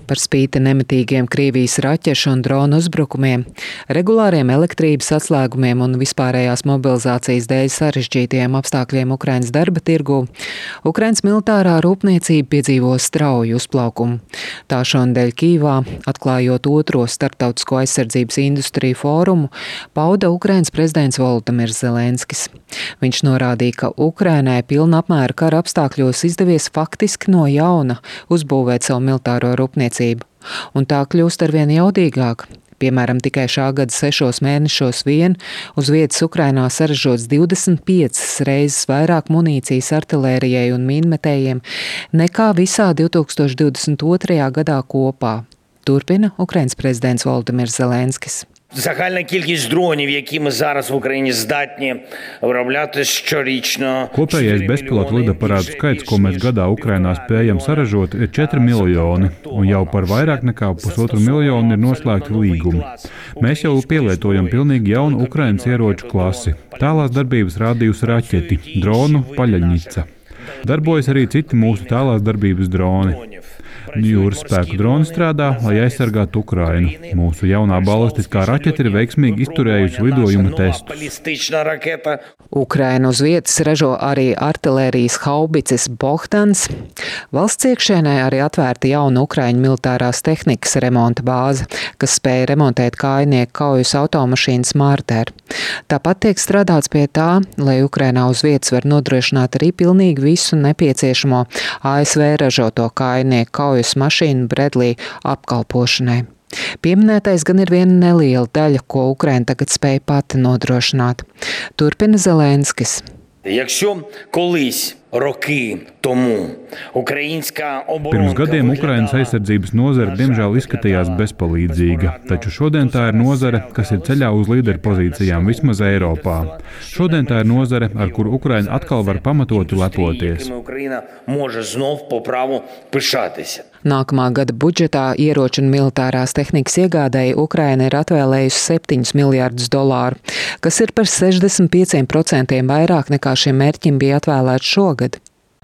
Par spīti nemitīgiem Krievijas raķešu un dronu uzbrukumiem, regulāriem elektrības atslēgumiem un vispārējās mobilizācijas dēļ sarežģītiem apstākļiem Ukrainas darba tirgū, Ukrainas militārā rūpniecība piedzīvo strauju uzplaukumu. Tā šonadēļ Kīvā, atklājot otro starptautisko aizsardzības industriju fórumu, pauda Ukrainas prezidents Volodimirs Zelenskis. Viņš norādīja, ka Ukrainai pilna apmēra kara apstākļos izdevies faktiski no jauna uzbūvēt savu militāro rūpniecību. Un tā kļūst arvien jaudīgāk. Piemēram, tikai šā gada 6 mēnešos vien uz vietas Ukrainā saražots 25 reizes vairāk munīcijas artilērijai un mīnmetējiem nekā visā 2022. gadā kopā. Turpina Ukrainas prezidents Volodimirs Zelenskis. Загальна кількість дронів, які ми зараз в Україні здатні виробляти щорічно. Kopējais bezpilotu lidaparātu skaits, ko mēs gadā Ukrainā spējam saražot, ir 4 miljoni, un jau par vairāk nekā 1,5 miljonu ir noslēgti līgumi. Mēs jau pielietojam pilnīgi jaunu Ukrainas ieroču klasi. Tālās darbības rādījusi raķeti, dronu Paļaņica. Darbojas arī citi mūsu tālās darbības droni. Jūras spēku droni strādā, lai aizsargātu Ukrainu. Mūsu jaunā balistiskā raķete ir veiksmīgi izturējusi lidojuma testus. Ukraina uz vietas ražo arī artilērijas haubices Bohdans. Valsts iekšēnē arī atvērta jauna Ukraiņu militārās tehnikas remonta bāze, kas spēja remontēt kājnieku kaujas automašīnas Marder. Tāpat tiek strādāts pie tā, lai Ukrainā uz vietas var nodrošināt arī pilnīgi visu nepieciešamo ASV ražoto kājnieku kaujas mašīnu Bredlī apkalpošanai. Pieminētais gan ir viena neliela daļa, ko Ukraina tagad spēja pati nodrošināt. Turpina Zelenskis. Pirms gadiem Ukrainas aizsardzības nozare diemžēl izskatījās bezpalīdzīga, taču šodien tā ir nozare, kas ir ceļā uz līderu pozīcijām vismaz Eiropā. Šodien tā ir nozare, ar kuru Ukraina atkal var pamatoti lepoties. Nākamā gada budžetā ieroču un militārās tehnikas iegādēji Ukraina ir atvēlējusi $7 miljardus, kas ir par 65% vairāk nekā šim mērķim bija atvēlēts šogad.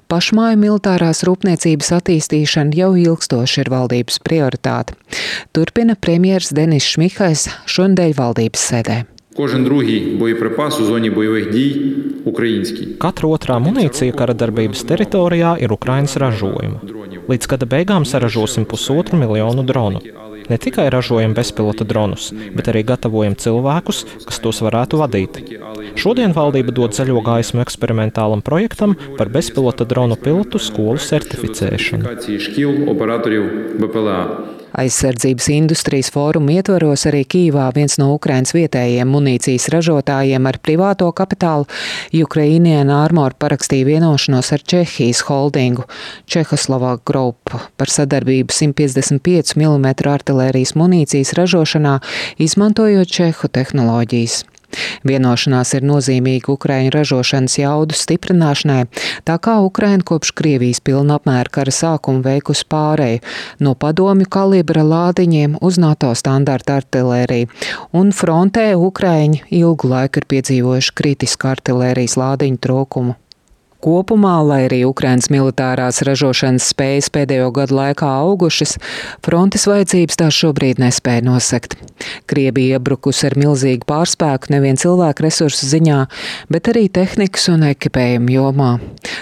Pašmāju militārās rūpniecības attīstīšana jau ilgstoši ir valdības prioritāte. Turpina premjers Denis Šmihais šonadēļ valdības sēdē. Katra otrā munīcija kara darbības teritorijā ir Ukrainas ražojuma. Līdz gada beigām saražosim 1,5 miljonu dronu. Ne tikai ražojam bezpilota dronus, bet arī gatavojam cilvēkus, kas tos varētu vadīt. Šodien valdība dod zaļo gaismu eksperimentālam projektam par bezpilota dronu pilotu skolu certificēšanu. Aizsardzības industrijas fóruma ietvaros arī Kīvā viens no Ukrainas vietējiem munīcijas ražotājiem ar privāto kapitālu Ukrainian Armor parakstīja vienošanos ar Čehijas holdingu Čehoslovak Group par sadarbību 155 mm artilērijas munīcijas ražošanā, izmantojot čehu tehnoloģijas. Vienošanās ir nozīmīga Ukraiņu ražošanas jaudu stiprināšanai, tā kā Ukraina kopš Krievijas pilna apmēra kara sākuma veikusi pāreju no padomju kalibra lādiņiem uz NATO standarta artilēriju, un frontē Ukraiņi ilgu laiku ir piedzīvojuši kritisku artilērijas lādiņu trūkumu. Kopumā, lai arī Ukrainas militārās ražošanas spējas pēdējo gadu laikā augušas, frontes vajadzības tās šobrīd nespēja nosegt. Krievija iebrukusi ar milzīgu pārspēku nevien cilvēku resursu ziņā, bet arī tehnikas un ekipējuma jomā.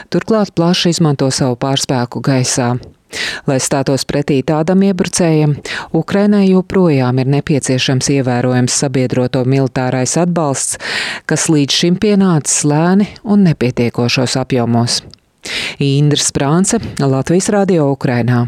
Turklāt plaši izmanto savu pārspēku gaisā. Lai stātos pretī tādam iebrucējam, Ukrainai joprojām ir nepieciešams ievērojams sabiedroto militārais atbalsts, kas līdz šim pienācis lēni un nepietiekošos apjomos. Indra Sprānce, Latvijas Radio Ukrainā.